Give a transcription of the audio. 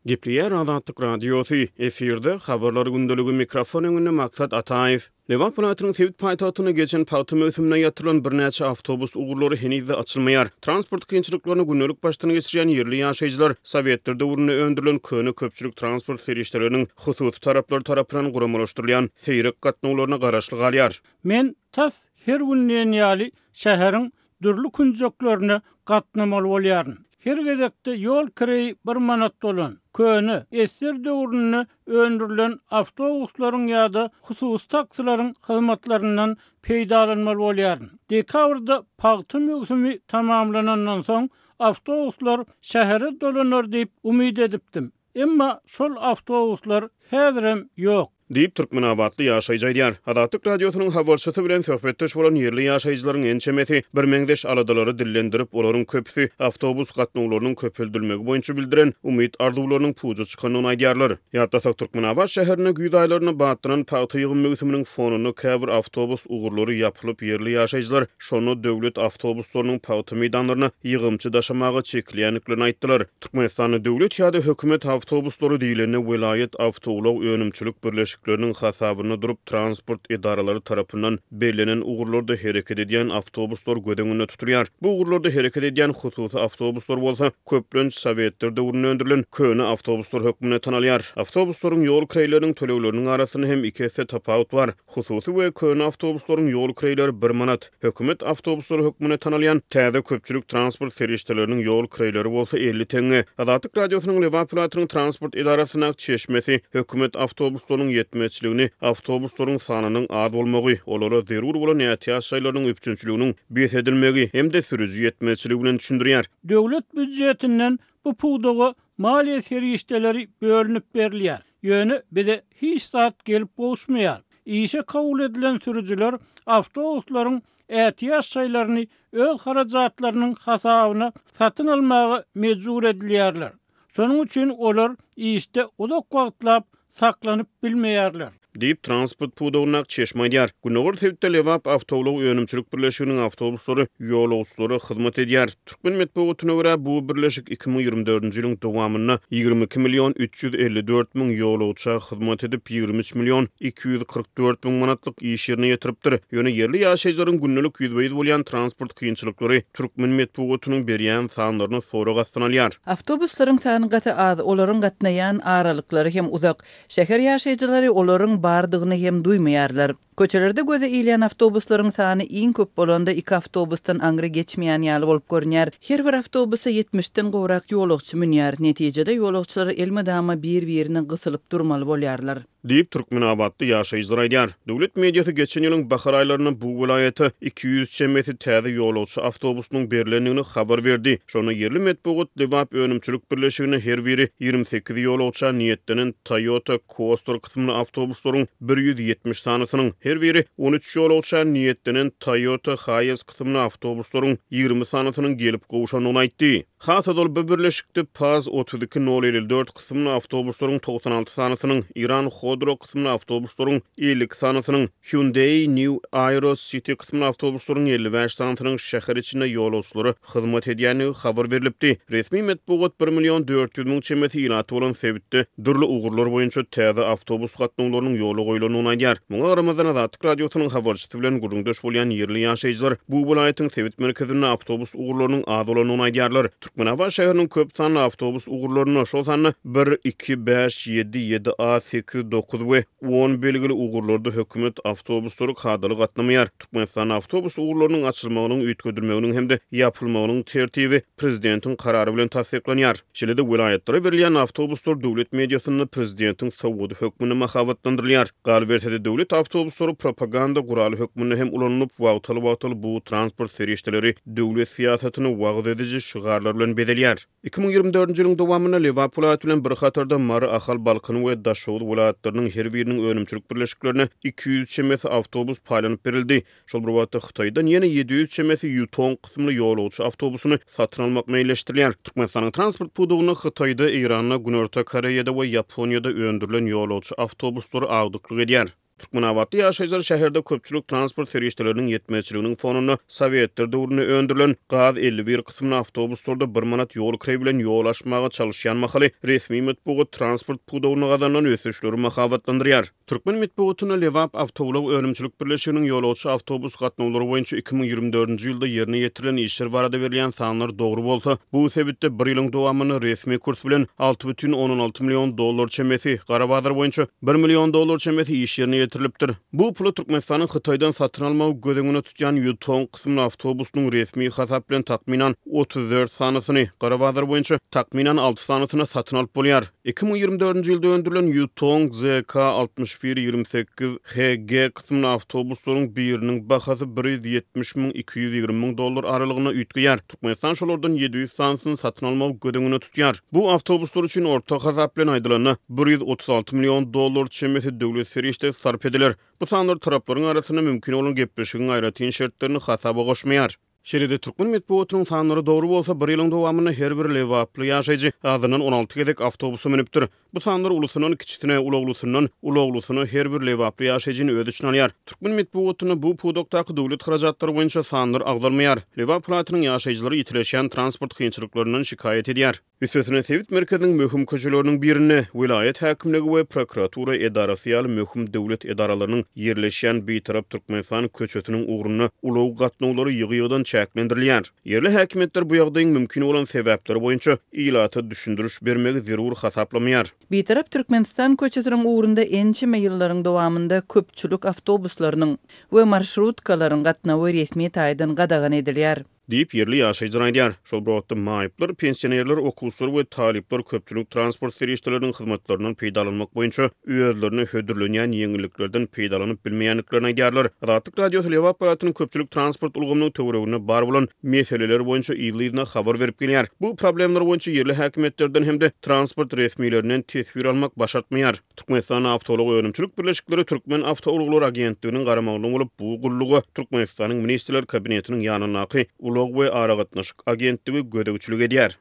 Gepleýär Azatlyk Radiosy, efirde Habarlar gündeligi, mikrofon öňünde Maksat Ataýew. Lebap welaýatynyň sebit paýtagtynda geçen pagta möwsüminde ýatyrylan birnäçe awtobus ugurlary heniz-de açylmaýar. Transport kynçylyklaryny gündelik başdan geçirýän ýerli ýaşaýjylar sowetler döwründe öndürilen köne köpçülik transport serişdeleriniň hususy taraplar tarapyndan guramalaşdyrylýan seýrek gatnawlaryna garaşly galýar. Men tas her gün diýen ýaly şäheriň dürli künjeklerine gatnamaly bolýaryn. Her gezekde ýol kireýi bir manat bolan, köne, esger döwründe öndürilen awtobuslaryň ýa-da hususy taksileriň hyzmatlaryndan peýdalanmaly bolýaryn. Dekabrda pagta möwsümi tamamlanandan soň, awtobuslar şähere dolanar diýip umyt edipdim. Emma şol awtobuslar häzirem ýok. Diýip, türkmenabatly ýaşaýjy aýdýar. Azatlyk Radiosynyň habarçysy bilen söhbetdeş bolan ýerli ýaşaýjylaryň ençemesi birmeňzeş aladalary dillendirip, olaryň köpüsi awtobus gatnawlarynyň köpeldilmegi boýunça bildiren umyt-arzuwlarynyň puja çykandygyny aýdýarlar. Ýatlasak, Türkmenabat şäherinde güýz aýlarynda batlanan pagta ýygym möwsüminiň fonunda käbir awtobus ugurlary ýapylyp, ýerli ýaşaýjylar şonda döwlet awtobuslarynyň pagta meýdanlaryna ýygymçy daşamaga çekilýändiklerini aýtdylar. Türkmenistanda döwlet ýa-da hökümet awtobuslary diýlende welaýat awtoulag önümçilik birleşikleriniň hasabynda durup transport edaralary tarapyndan bellenen ugurlarda hereket edýän awtobuslar göz öňünde tutulýar. Bu ugurlarda hereket edýän hususy awtobuslar bolsa köplenç sowetler döwründe öndürilen köne awtobuslar hökmünde tanalýar. Awtobuslaryň ýol kireýleriniň tölegleriniň arasynda hem iki esse tapawut bar. Hususy we köne awtobuslaryň ýol kireýleri bir manat, hökümet awtobuslary hökmünde tanalýan täze köpçülik transport serişdeleriniň ýol kireýleri bolsa 50 teňňe. Azatlyk Radiosynyň Lebap welaýatynyň transport edarasyndaky çeşmesi hökümet awtobuslarynyň ýetmezçiligini awtobuslaryň sanynyň az bolmagy, olara zerur bolan ätiýaç şaýlarynyň üpjünçiliginiň bes edilmegi hem-de sürüji ýetmezçiligi bilen düşündirýär. Döwlet býujetinden bu pudaga maliýe serişdeleri bölünip berilýär. Ýöne bize hiç zat gelip gowuşmaýar. Işe kabul edilen sürüjiler awtobuslaryň ätiýaç şaýlaryny öz harajatlarynyň hasabyna satyn almaga mejbur edilýärler. Şonuň üçin olar işde uzak wagtlap saklanyp bilmeýärler. Diýip, transport pudagyndaky çeşme aýdýar. Gündogar sebitde Lebap awtoulag önümçilik birleşiginiň awtobuslary ýolagçylara hyzmat edýär. Türkmen metbugatyna görä, bu birleşik 2024-nji ýylyň dowamynda 22 million 354 müň ýolagça hyzmat edip, 23 million 244 müň manatlyk iş ýerine ýetiripdir. Ýöne ýerli ýaşaýjylaryň gündelik ýüzbe-ýüz bolýan transport kynçylyklary türkmen metbugatynyň berýän sanlaryny sorag astyna alýar. Awtobuslaryň sany gaty az, olaryň gatnaýan aralyklary hem uzak. Şäher ýaşaýjylary olaryň bardygyny hem duýmaýarlar. Köçelerde göze ilýän awtobuslaryň sany iň köp bolanda iki awtobusdan aňry geçmeýän ýaly bolup görünýär. Her bir awtobusa ýetmişden gowrak ýolagçy münýär. Netijede ýolagçylar elmydama bir-birine gysylyp durmaly bolýarlar. Diýip, türkmenabatly ýaşaýjylar aýdýar. Döwlet mediasy geçen ýylyň bahar aýlarynda bu welaýata 200 çemesi täze ýolagçy awtobusynyň berlendigini habar berdi. Şonda ýerli metbugat Lebap önümçilik birleşigine her biri 28 ýolagça niýetlenen Toyota Coaster kysymly awtobuslaryň 170 sanysynyň, her biri 13 ýolagça niýetlenen Toyota Hiace kysymly awtobuslaryň 20 sanysynyň gelip gowşandygyny aýtdy. Has ozal bu birleşikde Paz 32 nol 54 kysymly awtobuslaryň 96 sanysynyň, Iran Hodro kysymly awtobuslaryň 52 sanysynyň, Hyundai New Aero City kysymly awtobuslaryň 55 sanysynyň şäher içinde ýolagçylara hyzmat edýändigi habar berlipdi. Resmi metbugat bir million 400 müň çemesi ilaty bolan sebitde dürli ugurlar boýunça täze awtobus gatnawlarynyň ýola goýlandygyny aýdýar. Muňa garamazdan, Azatlyk Radiosynyň habarçysy bilen gürrüňdeş bolýan ýerli ýaşaýjylar bu welaýatyň sebit merkezinde awtobus ugurlarynyň az bolandygyny aýdýarlar. Türkmenabat şäheriniň köp sanly awtobus ugurlarynda, şol sanda bir, iki, bäş, ýedi, ýedi A, sekiz, dokuz we on belgili ugurlarda hökümet awtobuslary kadaly gatnamaýar. Türkmenistanda awtobus ugurlarynyň açylmagynyň, üýtgedilmeginiň hem-de ýapylmagynyň tertibi prezidentiň karary bilen tassyklanýar. Şeýle-de welaýatlara berilýän awtobuslar döwlet mediasynda prezidentiň sowgady hökmünde mahabatlandyrylýar. Galyberse-de, döwlet awtobuslary propaganda guraly hökmünde hem ulanylyp, wagtal-wagtal bu transport serişdeleri döwlet syýasatyny wagyz ediji şygarlar bilen bezelýär. 2024-nji ýylyň dowamynda Lebap welaýaty bilen bir hatarda Mary, Ahal, Balkan we Daşoguz welaýatlarynyň her biriniň önümçilik birleşiklerine 200 çemesi awtobus paýlanyp berildi. Şol bir wagtda, Hytaýdan ýene 700 çemesi Ýutong kysymly ýolagçy awtobusyny satyn almak meýilleşdirilýär. Türkmenistanyň transport pudagynda Hytaýda, Eýranda, Günorta Koreýada we Ýaponiýada öndürilen ýolagçy awtobuslary agdyklyk edýär. Türkmenabatly ýaşaýjylar şäherde köpçülik transport serişdeleriniň ýetmezçiliginiň fonunda sowetler döwründe öndürilen gaz 51 kysymly awtobuslarda bir manat ýol kireý bilen ýol aşmaga çalyşýan mahaly resmi metbugat transport pudagynda gazanylan ösüşleri mahabatlandyrýar. Türkmen metbugatynda Lebap awtoulag önümçilik birleşiginiň ýolagçy awtobus gatnawlary boýunça 2024-nji ýylda ýerine ýetirilen işler barada berilýän sanlar dogry bolsa, bu sebitde bir ýylyň dowamynda resmi kurs bilen 6,6 million dollar çemesi, gara bazar boýunça bir million dollar çemesi iş ýerine ýetirilipdir. Bu pula Türkmenistanyň Hytaýdan satyn almagy göz öňünde tutýan Ýutong kysymly awtobusynyň resmi hasap bilen takmynan 34 sanysyny, gara bazar boýunça takmynan alty sanysyny satyn alyp bolýar. 2024-nji ýylda öndürilen Ýutong ZK 61 28 HG kysymly awtobuslaryň biriniň bahasy 170 müň, 220 müň dollar aralygynda üýtgeýär. Türkmenistan şolardan 700 sanysyny satyn almagy göz öňünde tutýar. Bu awtobuslar üçin orta hasap bilen aýdylanda, 136 million dollar çemesi döwlet serişdesi sarp ediler. Bu sanlar taraplaryň arasynda mümkin bolan gepleşigiň aýratyn şertlerini hasaba goşmaýar. Şeýle-de, türkmen metbugatynyň sanlary dogry bolsa, bir ýylyň dowamynda her bir lebaply ýaşaýjy azyndan 16 gezek awtobusa münüpdir. Bu sanlar ulusyndan kiçisine, ulaglysyndan ulaglysyna her bir lebaply ýaşaýjyny öz içine alýar. Türkmen metbugatynda bu pudakdaky döwlet harajatlary boýunça sanlar agzalmaýar. Lebap welaýatynyň ýaşaýjylary ýitileşýän transport kynçylyklaryndan şikaýat edýär. Üstesine, sebit merkeziniň möhüm köçeleriniň birinde, welaýat häkimligi we prokuratura edarasy ýaly möhüm döwlet edaralarynyň ýerleşýän Bitarap Türkmenistan köçesiniň ugrunda ulag gatnawlary ýygy-ýygydan çäklendirilýär. Ýerli häkimiýetler bu ýagdaýyň mümkin bolan sebäpleri boýunça ilata düşündiriş bermegi zerur hasaplamaýar. Bitarap Türkmenistan köçesiniň ugrunda ençeme ýyllaryň dowamynda köpçülik awtobuslarynyň we marşrutkalaryň gatnawy resmi taýdan gadagan edilýär. Diýip, ýerli ýaşaýjylar aýdýar. Şol bir wagtda, maýyplar, pensionerler, okuwçylar we talyplar köpçülik transport serişdeleriniň hyzmatlaryndan peýdalanmak boýunça özlerine hödürlenýän ýeňilliklerden peýdalanyp bilmeýändiklerini aýdýarlar. Azatlyk Radiosy Lebap welaýatynyň köpçülik transport ulgamynyň töwereginde bar bolan meseleler boýunça yzly-yzyna habar berip gelýär. Bu problemler boýunça ýerli häkimiýetlerden hem-de transport resmilerinden teswir almak başartmaýar. Türkmenistanda awtoulag önümçilik birleşikleri Türkmen awtoulaglary agentliginiň garamagynda bolup, bu gulluga Türkmenistanyň Ministrler Kabinetiniň ýanyndaky Ulag we aragatnaşyk agentligi gözegçilik edýär.